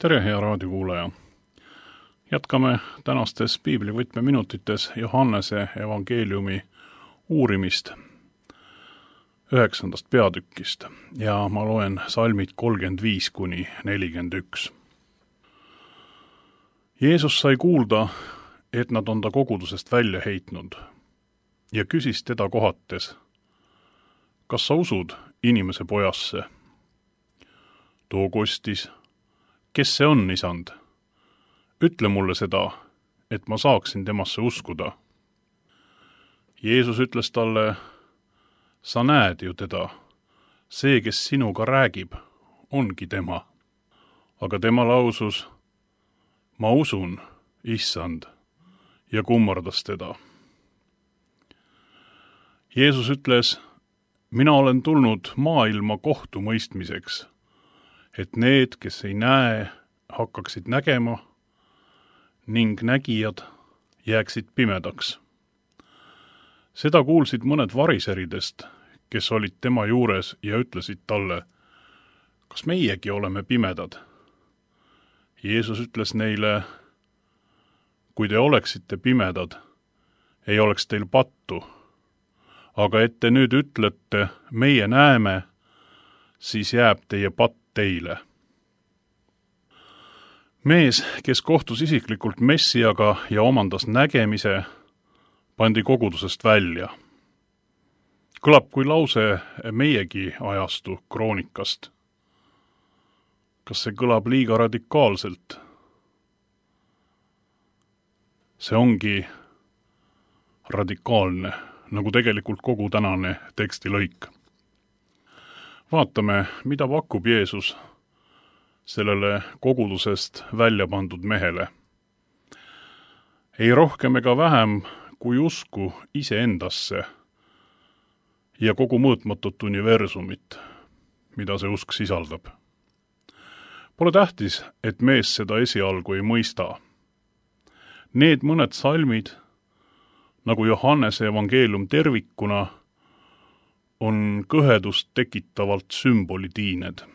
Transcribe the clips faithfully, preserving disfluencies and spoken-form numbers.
tere, hea raadiokuulaja! Jätkame tänastes piiblivõtmeminutites Johannese evangeeliumi uurimist üheksandast peatükist ja ma loen salmid kolmkümmend viis kuni nelikümmend üks. Jeesus sai kuulda, et nad on ta kogudusest välja heitnud ja küsis teda kohates: kas sa usud inimese pojasse? Too kostis: kes see on, isand? Ütle mulle seda, et ma saaksin temasse uskuda. Jeesus ütles talle: sa näed ju teda, see, kes sinuga räägib, ongi tema. Aga tema lausus: ma usun, issand, ja kummardas teda. Jeesus ütles: mina olen tulnud maailma kohtumõistmiseks, et need, kes ei näe, hakkaksid nägema ning nägijad jääksid pimedaks. Seda kuulsid mõned variseridest, kes olid tema juures ja ütlesid talle: kas meiegi oleme pimedad? Jeesus ütles neile: kui te oleksite pimedad, ei oleks teil pattu, aga et te nüüd ütlete, meie näeme, siis jääb teie patt teile. Mees, kes kohtus isiklikult Messiaga ja omandas nägemise, pandi kogudusest välja. Kõlab kui lause meiegi ajastu kroonikast. Kas see kõlab liiga radikaalselt? See ongi radikaalne, nagu tegelikult kogu tänane tekstilõik. Vaatame, mida pakub Jeesus sellele kogudusest välja pandud mehele. Ei rohkem ega vähem kui usku iseendasse ja kogu mõõtmatut universumit, mida see usk sisaldab. Pole tähtis, et mees seda esialgu ei mõista. Need mõned salmid, nagu Johannese evangeelium tervikuna, on kõhedust tekitavalt sümbolitiined.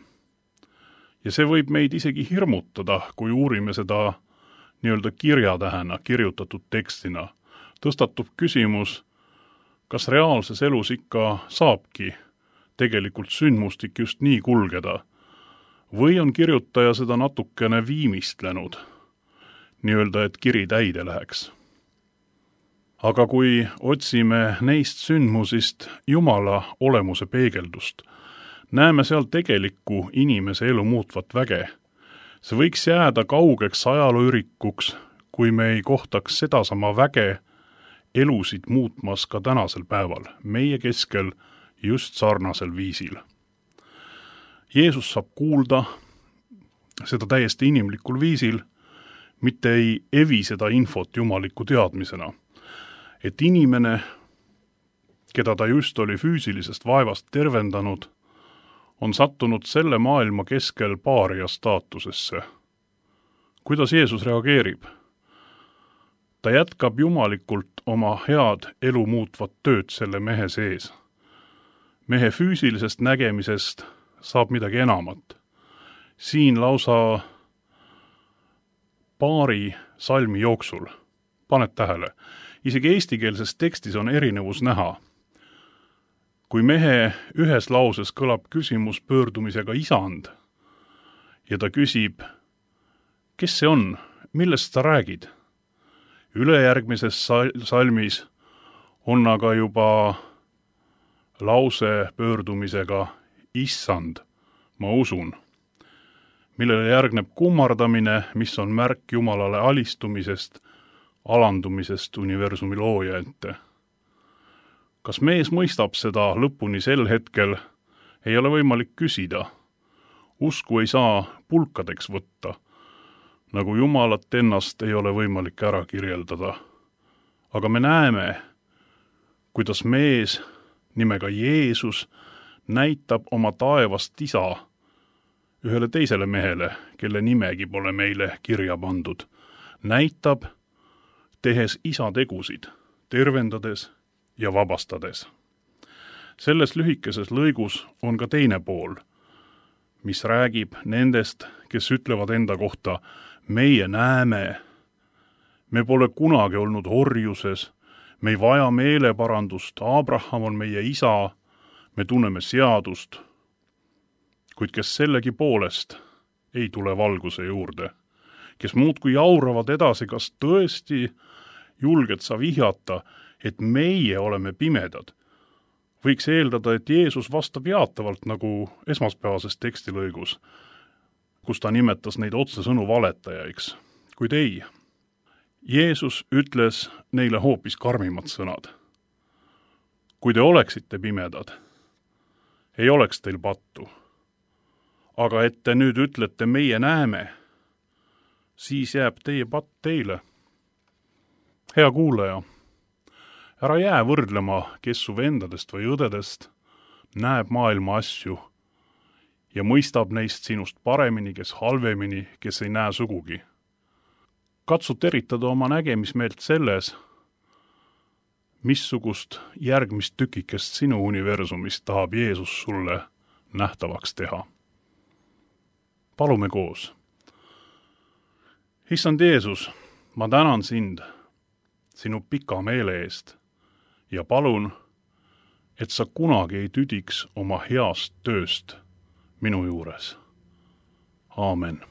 Ja see võib meid isegi hirmutada, kui uurime seda nii-öelda kirjatähena, kirjutatud tekstina. Tõstatub küsimus, kas reaalses elus ikka saabki tegelikult sündmustik just nii kulgeda, või on kirjutaja seda natukene viimistlenud, nii-öelda, et kiri täide läheks. Aga kui otsime neist sündmusist Jumala olemuse peegeldust, näeme seal tegelikku inimese elu muutvat väge. See võiks jääda kaugeks ajalooürikuks, kui me ei kohtaks sedasama väge elusid muutmas ka tänasel päeval, meie keskel just sarnasel viisil. Jeesus saab kuulda seda täiesti inimlikul viisil, mitte ei evi seda infot jumaliku teadmisena, et inimene, keda ta just oli füüsilisest vaevast tervendanud, on sattunud selle maailma keskel paaria staatusesse. Kuidas Jeesus reageerib? Ta jätkab jumalikult oma head elu muutvat tööd selle mehe sees. Mehe füüsilisest nägemisest saab midagi enamat. Siin lausa paari salmi jooksul, paned tähele, isegi eestikeelses tekstis on erinevus näha. Kui mehe ühes lauses kõlab küsimus pöördumisega isand ja ta küsib, kes see on, millest sa räägid? Ülejärgmises salmis on aga juba lause pöördumisega issand, ma usun, millele järgneb kummardamine, mis on märk Jumalale alistumisest, alandumisest universumi looja ette. Kas mees mõistab seda lõpuni sel hetkel, ei ole võimalik küsida. Usku ei saa pulkadeks võtta, nagu Jumalat ennast ei ole võimalik ära kirjeldada. Aga me näeme, kuidas mees nimega Jeesus näitab oma taevast isa ühele teisele mehele, kelle nimegi pole meile kirja pandud. Näitab, tehes isa tegusid, tervendades ja vabastades. Selles lühikeses lõigus on ka teine pool, mis räägib nendest, kes ütlevad enda kohta, meie näeme. Me pole kunagi olnud orjuses, me ei vaja meeleparandust, Abraham on meie isa, me tunneme seadust. Kuid kes sellegi poolest ei tule valguse juurde, kes muudkui jauravad edasi, kas tõesti julged sa vihjata, et meie oleme pimedad. Võiks eeldada, et Jeesus vastab jaatavalt nagu esmaspäevases tekstilõigus, kus ta nimetas neid otsesõnu valetajaiks. Kuid ei, Jeesus ütles neile hoopis karmimad sõnad. Kui te oleksite pimedad, ei oleks teil pattu. Aga et te nüüd ütlete, meie näeme, siis jääb teie patt teile. Hea kuulaja, ära jää võrdlema, kes su vendadest või õdedest näeb maailma asju ja mõistab neist sinust paremini, kes halvemini, kes ei näe sugugi. Katsu teritada oma nägemismeelt selles, missugust järgmist tükikest sinu universumist tahab Jeesus sulle nähtavaks teha. Palume koos. Issand Jeesus, ma tänan sind sinu pika meele eest ja palun, et sa kunagi ei tüdiks oma heast tööst minu juures. Aamen.